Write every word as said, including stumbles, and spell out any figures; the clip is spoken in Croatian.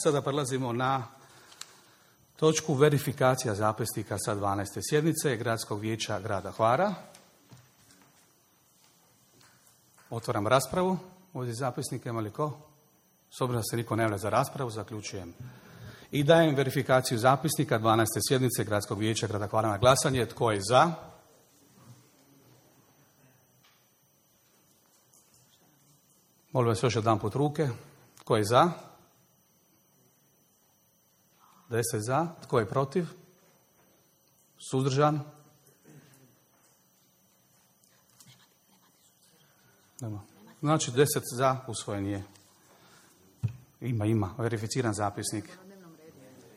Sada prelazimo na točku verifikacija zapisnika sa dvanaeste sjednice Gradskog vijeća grada Hvara. Otvaram raspravu. Ovdje zapisnika ima li ko? S obzirom da se niko ne javlja za raspravu, zaključujem. I dajem verifikaciju zapisnika dvanaeste sjednice Gradskog vijeća grada Hvara na glasanje. Tko je za? Molim vas još jedan put ruke. Tko je za? Deset za. Tko je protiv? Suzdržan? Nema. Znači deset za, usvojen je. Ima, ima. Verificiran zapisnik.